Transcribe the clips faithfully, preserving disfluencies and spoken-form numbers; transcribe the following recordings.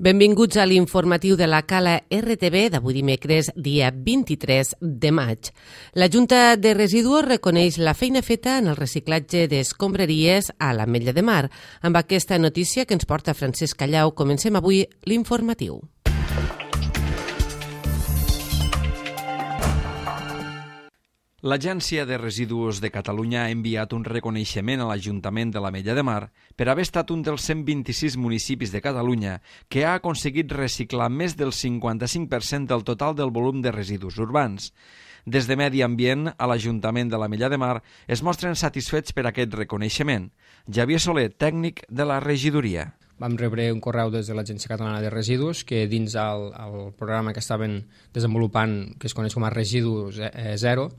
Benvinguts a l'informatiu de la Cala R T V d'avui dimecres, dia vint-i-tres de maig. La Junta de Residus reconeix la feina feta en el reciclatge d'escombraries a l'Ametlla de Mar. Amb aquesta notícia que ens porta Francesc Callau, comencem avui l'informatiu. L'Agència de Residus de Catalunya ha enviat un reconeixement a l'Ajuntament de l'Ametlla de Mar per haver estat un dels cent vint-i-sis municipis de Catalunya que ha aconseguit reciclar més del cinquanta-cinc per cent del total del volum de residus urbans. Des de Medi Ambient a l'Ajuntament de l'Ametlla de Mar es mostren satisfets per aquest reconeixement. Javier Soler, tècnic de la regidoria. Vam rebre un correu des de l'Agència Catalana de Residus que dins el, el programa que estaven desenvolupant, que es coneix com a Residus Zero,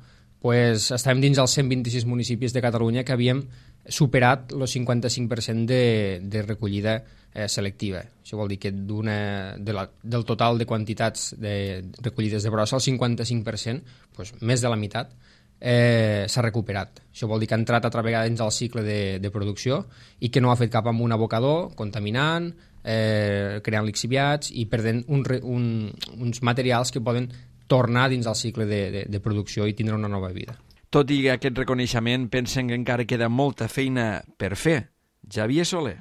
pues estàvem dins els cent vint-i-sis municipis de Catalunya que havíem superat el cinquanta-cinc per cent de, de recollida eh, selectiva. Això vol dir que d'una, de la, del total de quantitats de recollides de brossa, el cinquanta-cinc per cent, pues, més de la meitat, eh, s'ha recuperat. Això vol dir que ha entrat altra vegada dins el cicle de, de producció i que no ha fet cap amb un abocador, contaminant, eh, creant lixiviats i perdent un, un, uns materials que poden tornar dins el cicle de, de, de producció i tindre una nova vida. Tot i aquest reconeixement, pensen que encara queda molta feina per fer. Javier Soler.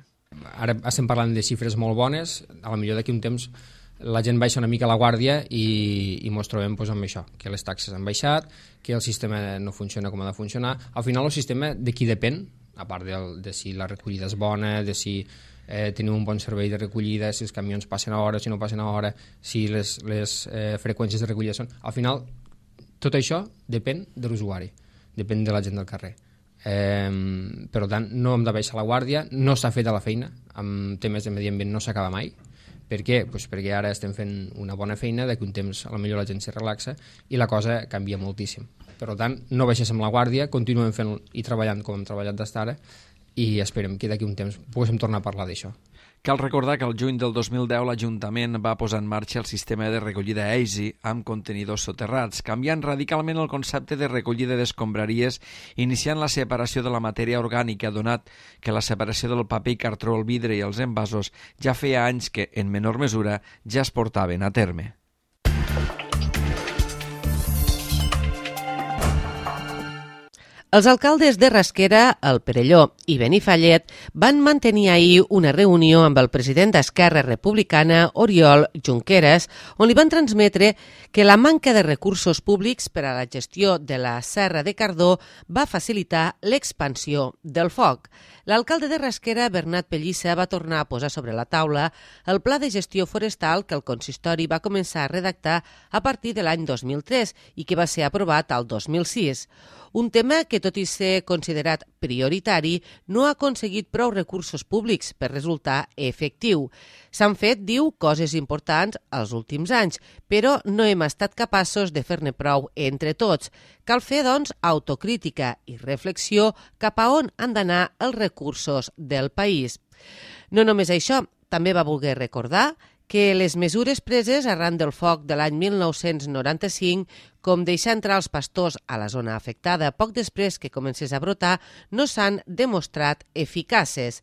Ara estem parlant de xifres molt bones, a la millor d'aquí un temps la gent baixa una mica la guàrdia i, i mos trobem pues, amb això, que les taxes han baixat, que el sistema no funciona com ha de funcionar. Al final el sistema de qui depèn, a part de, de si la recollida és bona, de si Eh, tenim un bon servei de recollida, si els camions passen a hora, si no passen a hora, si les, les eh, freqüències de recollida són... Al final, tot això depèn de l'usuari, depèn de la gent del carrer. Eh, per tant, no hem de baixar la guàrdia, no s'ha fet a la feina, amb temes de medi ambient no s'acaba mai. Per què? Pues perquè ara estem fent una bona feina, d'aquí un temps a la millor la gent se relaxa i la cosa canvia moltíssim. Per tant, no baixéssim la guàrdia, continuem fent i treballant com hem treballat d'estar ara, i esperem que d'aquí un temps poguéssim tornar a parlar d'això. Cal recordar que el juny del dos mil deu l'Ajuntament va posar en marxa el sistema de recollida Easy amb contenidors soterrats, canviant radicalment el concepte de recollida d'escombraries, iniciant la separació de la matèria orgànica, donat que la separació del paper i cartró, el vidre i els envasos ja feia anys que, en menor mesura, ja es portaven a terme. Els alcaldes de Rasquera, el Perelló i Benifallet van mantenir ahir una reunió amb el president d'Esquerra Republicana, Oriol Junqueras, on li van transmetre que la manca de recursos públics per a la gestió de la Serra de Cardó va facilitar l'expansió del foc. L'alcalde de Rasquera, Bernat Pellissa, va tornar a posar sobre la taula el pla de gestió forestal que el consistori va començar a redactar a partir de l'any dos mil tres i que va ser aprovat al dos mil sis. Un tema que, tot i ser considerat prioritari, no ha aconseguit prou recursos públics per resultar efectiu. S'han fet, diu, coses importants els últims anys, però no hem estat capaços de fer-ne prou entre tots. Cal fer, doncs, autocrítica i reflexió cap a on han d'anar els recursos del país. No només això, també va voler recordar que les mesures preses arran del foc de l'any mil nou-cents noranta-cinc, com deixar entrar els pastors a la zona afectada poc després que comencés a brotar, no s'han demostrat eficaces.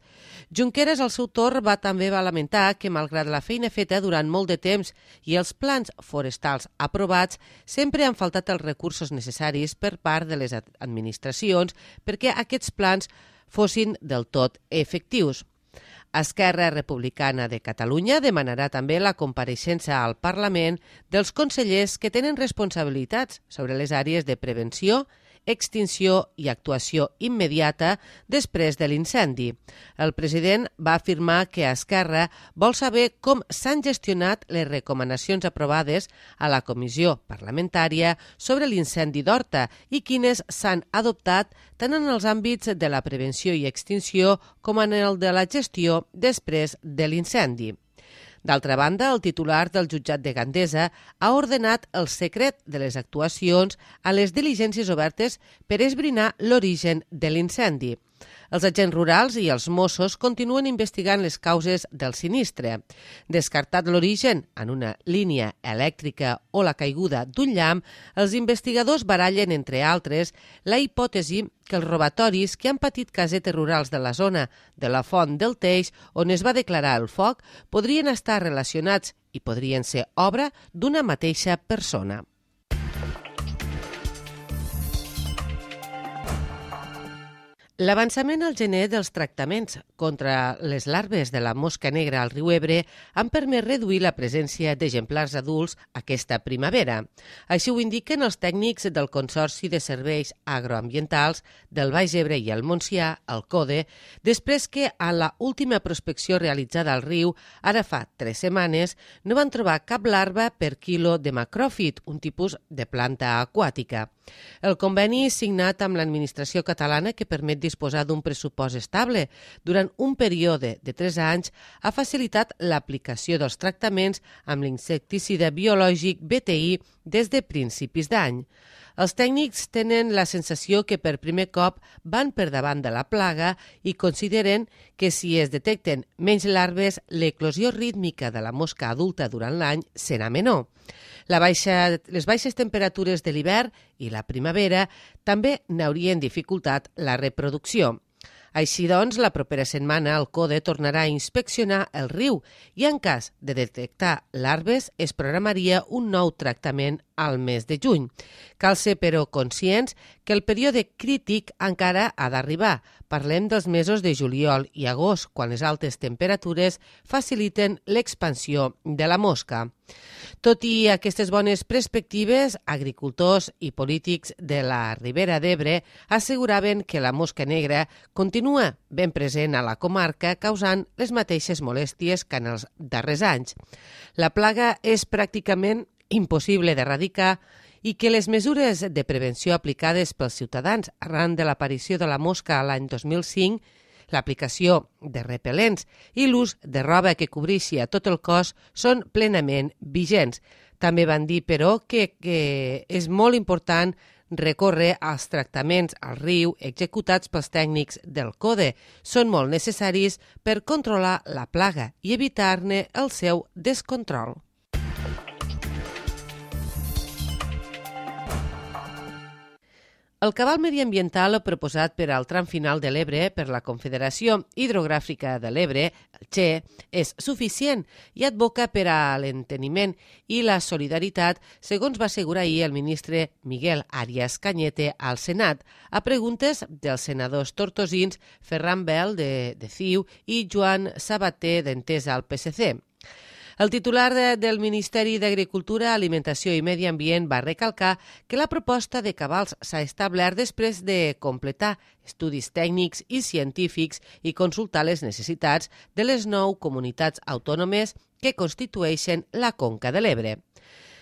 Junqueras, al seu torn, va també va lamentar que, malgrat la feina feta durant molt de temps i els plans forestals aprovats, sempre han faltat els recursos necessaris per part de les administracions perquè aquests plans fossin del tot efectius. Esquerra Republicana de Catalunya demanarà també la compareixença al Parlament dels consellers que tenen responsabilitats sobre les àrees de prevenció, extinció i actuació immediata després de l'incendi. El president va afirmar que Esquerra vol saber com s'han gestionat les recomanacions aprovades a la comissió parlamentària sobre l'incendi d'Horta i quines s'han adoptat tant en els àmbits de la prevenció i extinció com en el de la gestió després de l'incendi. D'altra banda, el titular del jutjat de Gandesa ha ordenat el secret de les actuacions a les diligències obertes per esbrinar l'origen de l'incendi. Els agents rurals i els Mossos continuen investigant les causes del sinistre. Descartat l'origen en una línia elèctrica o la caiguda d'un llamp, els investigadors barallen, entre altres, la hipòtesi que els robatoris que han patit casetes rurals de la zona de la Font del Teix, on es va declarar el foc, podrien estar relacionats i podrien ser obra d'una mateixa persona. L'avançament al gener dels tractaments contra les larves de la mosca negra al riu Ebre han permès reduir la presència d'exemplars adults aquesta primavera. Així ho indiquen els tècnics del Consorci de Serveis Agroambientals del Baix Ebre i el Montsià, el CODE, després que a la última prospecció realitzada al riu, ara fa tres setmanes, no van trobar cap larva per quilo de macròfit, un tipus de planta aquàtica. El conveni signat amb l'administració catalana, que permet disposar d'un pressupost estable durant un període de tres anys, ha facilitat l'aplicació dels tractaments amb l'insecticida biològic B T I des de principis d'any. Els tècnics tenen la sensació que per primer cop van per davant de la plaga i consideren que si es detecten menys larves, l'eclosió rítmica de la mosca adulta durant l'any serà menor. La baixa, les baixes temperatures de l'hivern i la primavera també n'haurien dificultat la reproducció. Així doncs, la propera setmana el CODE tornarà a inspeccionar el riu i en cas de detectar larves es programaria un nou tractament al mes de juny. Cal ser, però, conscients que el període crític encara ha d'arribar. Parlem dels mesos de juliol i agost, quan les altes temperatures faciliten l'expansió de la mosca. Tot i aquestes bones perspectives, agricultors i polítics de la Ribera d'Ebre asseguraven que la mosca negra continua ben present a la comarca, causant les mateixes molèsties que en els darrers anys. La plaga és pràcticament impossible d'erradicar i que les mesures de prevenció aplicades pels ciutadans arran de l'aparició de la mosca l'any dos mil cinc, l'aplicació de repel·lents i l'ús de roba que cobreixi a tot el cos són plenament vigents. També van dir, però, que, que és molt important recórrer als tractaments al riu executats pels tècnics del CODE. Són molt necessaris per controlar la plaga i evitar-ne el seu descontrol. El cabal mediambiental proposat per al tram final de l'Ebre per la Confederació Hidrogràfica de l'Ebre, el Che, és suficient i advoca per a l'enteniment i la solidaritat, segons va assegurar ahir el ministre Miguel Arias Cañete al Senat, a preguntes dels senadors tortosins Ferran Bel, de, de C I U, i Joan Sabater, d'Entesa, al P S C. El titular de, del Ministeri d'Agricultura, Alimentació i Medi Ambient va recalcar que la proposta de cabals s'ha establert després de completar estudis tècnics i científics i consultar les necessitats de les nou comunitats autònomes que constitueixen la Conca de l'Ebre.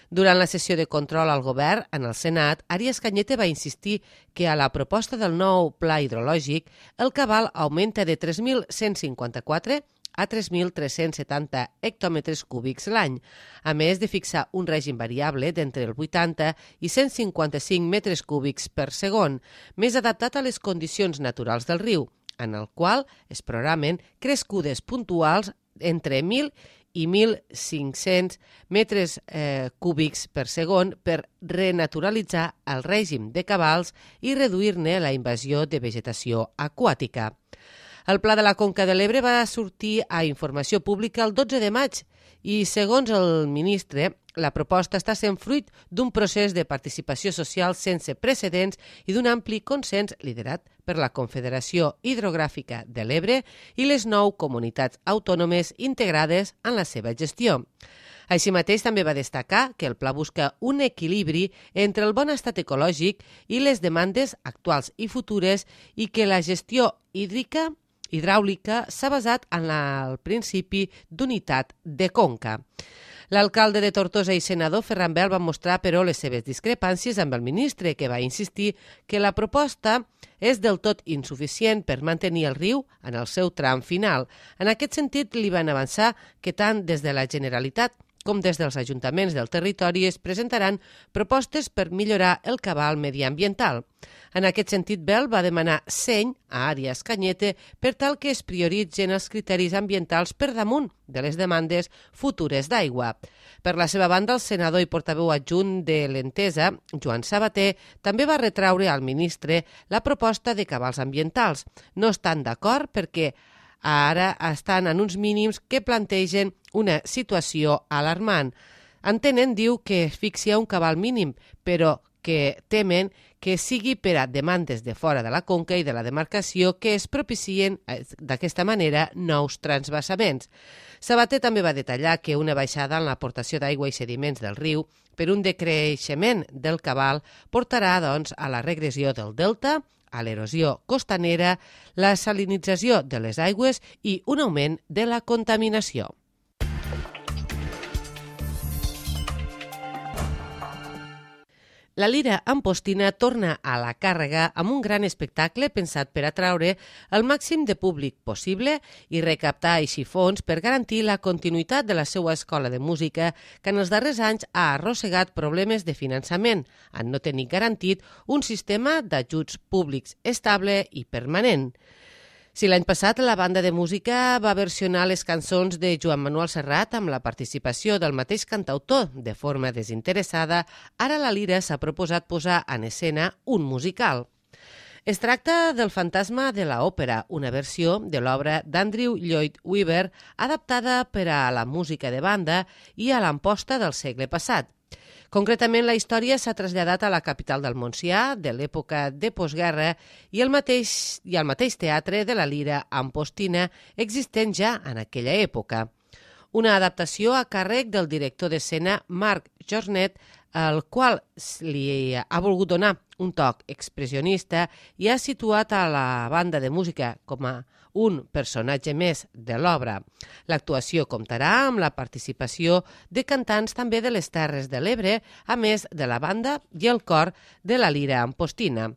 Durant la sessió de control al govern en el Senat, Arias Cañete va insistir que a la proposta del nou pla hidrològic el cabal augmenta de tres mil cent cinquanta-quatre a tres mil tres-cents setanta hectòmetres cúbics l'any, a més de fixar un règim variable d'entre el vuitanta i cent cinquanta-cinc metres cúbics per segon, més adaptat a les condicions naturals del riu, en el qual es programen crescudes puntuals entre mil i mil cinc-cents metres eh, cúbics per segon per renaturalitzar el règim de cabals i reduir-ne la invasió de vegetació aquàtica. El Pla de la Conca de l'Ebre va sortir a informació pública el dotze de maig i, segons el ministre, la proposta està sent fruit d'un procés de participació social sense precedents i d'un ampli consens liderat per la Confederació Hidrogràfica de l'Ebre i les nou comunitats autònomes integrades en la seva gestió. Així mateix també va destacar que el pla busca un equilibri entre el bon estat ecològic i les demandes actuals i futures i que la gestió hídrica hidràulica s'ha basat en la, el principi d'unitat de conca. L'alcalde de Tortosa i senador Ferran Bel van mostrar, però, les seves discrepàncies amb el ministre, que va insistir que la proposta és del tot insuficient per mantenir el riu en el seu tram final. En aquest sentit, li van avançar que tant des de la Generalitat com des dels ajuntaments del territori es presentaran propostes per millorar el cabal mediambiental. En aquest sentit, Bel va demanar seny a Àrees Cañete per tal que es prioritzen els criteris ambientals per damunt de les demandes futures d'aigua. Per la seva banda, el senador i portaveu adjunt de l'Entesa, Joan Sabater, també va retraure al ministre la proposta de cabals ambientals. No estan d'acord perquè ara estan en uns mínims que plantegen una situació alarmant. Entenen, diu, que es fixi un cabal mínim, però que temen que sigui per a demandes de fora de la conca i de la demarcació que es propicien d'aquesta manera nous transvasaments. Sabater també va detallar que una baixada en l'aportació d'aigua i sediments del riu per un decreixement del cabal portarà, doncs, a la regressió del delta, a l'erosió costanera, la salinització de les aigües i un augment de la contaminació. La Lira Ampostina torna a la càrrega amb un gran espectacle pensat per atraure el màxim de públic possible i recaptar així fons per garantir la continuïtat de la seva escola de música que en els darrers anys ha arrossegat problemes de finançament, en no tenir garantit un sistema d'ajuts públics estable i permanent. Si l'any passat la banda de música va versionar les cançons de Joan Manuel Serrat amb la participació del mateix cantautor de forma desinteressada, ara la Lira s'ha proposat posar en escena un musical. Es tracta del Fantasma de l'Òpera, una versió de l'obra d'Andrew Lloyd Webber adaptada per a la música de banda i a l'Amposta del segle passat. Concretament, la història s'ha traslladat a la capital del Montsià, de l'època de postguerra, i el mateix, i el mateix teatre de la Lira Ampostina, existent ja en aquella època. Una adaptació a càrrec del director d'escena Marc Jornet, el qual li ha volgut donar un toc expressionista i ha situat a la banda de música com a un personatge més de l'obra. L'actuació comptarà amb la participació de cantants també de les Terres de l'Ebre, a més de la banda i el cor de la Lira Ampostina.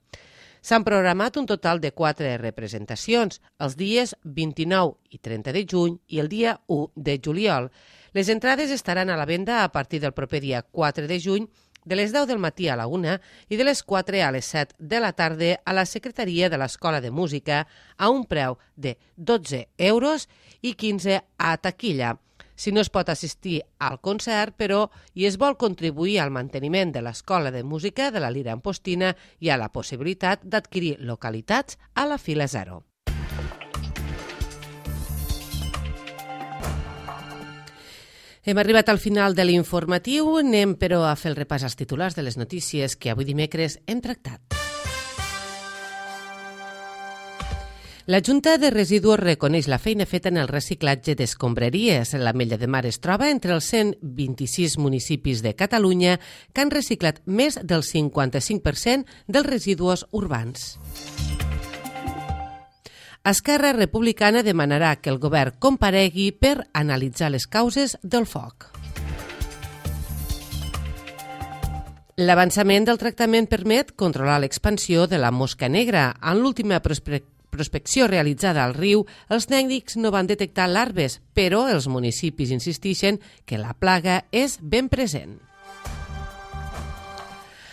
S'han programat un total de quatre representacions, els dies vint-i-nou i trenta de juny i el dia u de juliol. Les entrades estaran a la venda a partir del proper dia quatre de juny, de les deu del matí a la una i de les quatre a les set de la tarda a la Secretaria de l'Escola de Música a un preu de dotze euros i quinze a taquilla. Si no es pot assistir al concert, però, i es vol contribuir al manteniment de l'Escola de Música de la Lira Ampostina, hi ha la possibilitat d'adquirir localitats a la fila zero. Hem arribat al final de l'informatiu, anem però a fer el repàs als titulars de les notícies que avui dimecres hem tractat. La Junta de Residus reconeix la feina feta en el reciclatge d'escombraries. L'Ametlla de Mar es troba entre els cent vint-i-sis municipis de Catalunya que han reciclat més del cinquanta-cinc per cent dels residus urbans. Esquerra Republicana demanarà que el govern comparegui per analitzar les causes del foc. L'avançament del tractament permet controlar l'expansió de la mosca negra. En l'última prospecció realitzada al riu, els tècnics no van detectar larves, però els municipis insisteixen que la plaga és ben present.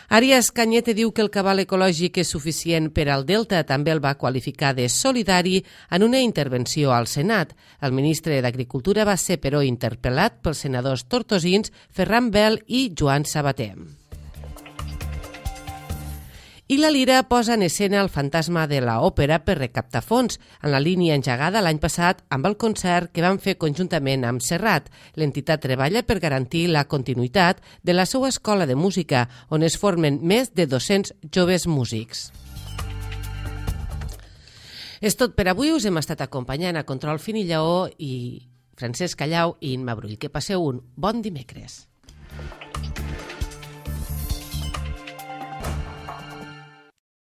Àrees Cañete diu que el cabal ecològic és suficient per al Delta. També el va qualificar de solidari en una intervenció al Senat. El ministre d'Agricultura va ser, però, interpel·lat pels senadors tortosins Ferran Bel i Joan Sabater. I la Lira posa en escena el Fantasma de l'Òpera per recaptar fons, en la línia engegada l'any passat amb el concert que van fer conjuntament amb Serrat. L'entitat treballa per garantir la continuïtat de la seva escola de música, on es formen més de dos-cents joves músics. És tot per avui. Us hem estat acompanyant a Control Fin i Lleó i Francesc Callau i Imma Brull. Que passeu un bon dimecres.